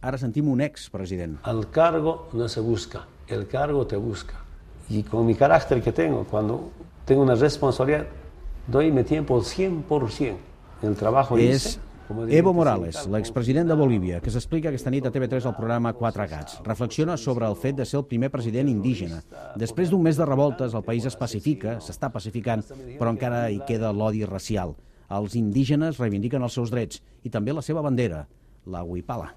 Ara sentim un expresident. El cargo no se busca, el cargo te busca. Y con mi carácter que tengo, cuando tengo una responsabilidad, doy mi tiempo 100%. El trabajo És Evo Morales, l'expresident de Bolívia, que s'explica aquesta nit a TV3 al programa Quatre Gats. Reflexiona sobre el fet de ser el primer president indígena. Després d'un mes de revoltes, el país es pacifica, s'està pacificant, però encara hi queda l'odi racial. Els indígenes reivindiquen els seus drets i també la seva bandera, la huipala.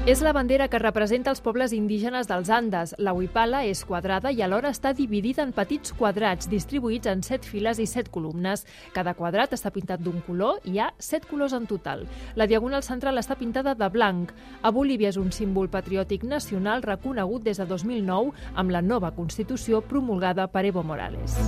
És la bandera que representa els pobles indígenes dels Andes. La huipala és quadrada i alhora està dividida en petits quadrats distribuïts en 7 files i 7 columnes. Cada quadrat està pintat d'un color i hi ha 7 colors en total. La diagonal central està pintada de blanc. A Bolívia és un símbol patriòtic nacional reconegut des de 2009 amb la nova Constitució promulgada per Evo Morales.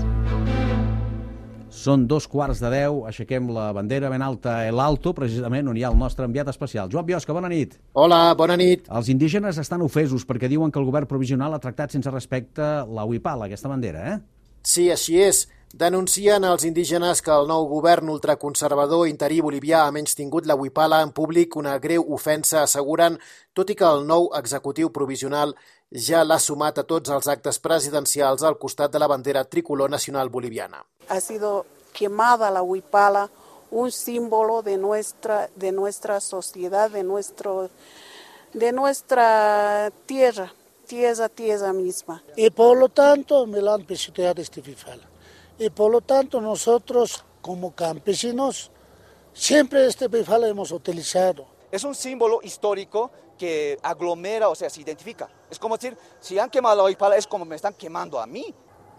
Són 2:15, aixequem la bandera ben alta, el Alto, precisament on hi ha el nostre enviat especial. Joan Biosca, bona nit. Hola, bona nit. Els indígenes estan ofesos perquè diuen que el govern provisional ha tractat sense respecte la huipala, aquesta bandera, Sí, així és. Denuncien els indígenes que el nou govern ultraconservador interí bolivià ha menystingut la huipala en públic, una greu ofensa, asseguren, tot i que el nou executiu provisional ja l'ha sumat a tots els actes presidencials al costat de la bandera tricolor nacional boliviana. Ha sido quemada la huipala, un símbolo de nuestra sociedad, de nuestra tierra misma. Y por lo tanto me la han pisoteado este huipala. Y por lo tanto nosotros como campesinos siempre este huipala hemos utilizado. Es un símbolo histórico que aglomera, o sea, se identifica. Es como decir, si han quemado la huipala es como me están quemando a mí.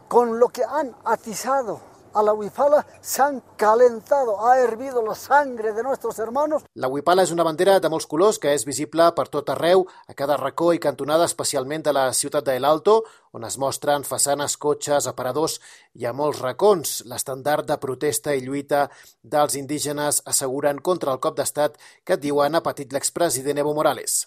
Con lo que han atizado a la huipala se han calentado, ha hervido la sangre de nuestros hermanos. La huipala és una bandera de molts colors que és visible per tot arreu, a cada racó i cantonada, especialment de la ciutat de El Alto, on es mostren façanes, cotxes, aparadors i a molts racons. L'estandard de protesta i lluita dels indígenes asseguren contra el cop d'estat que diuen ha patit l'expresident Evo Morales.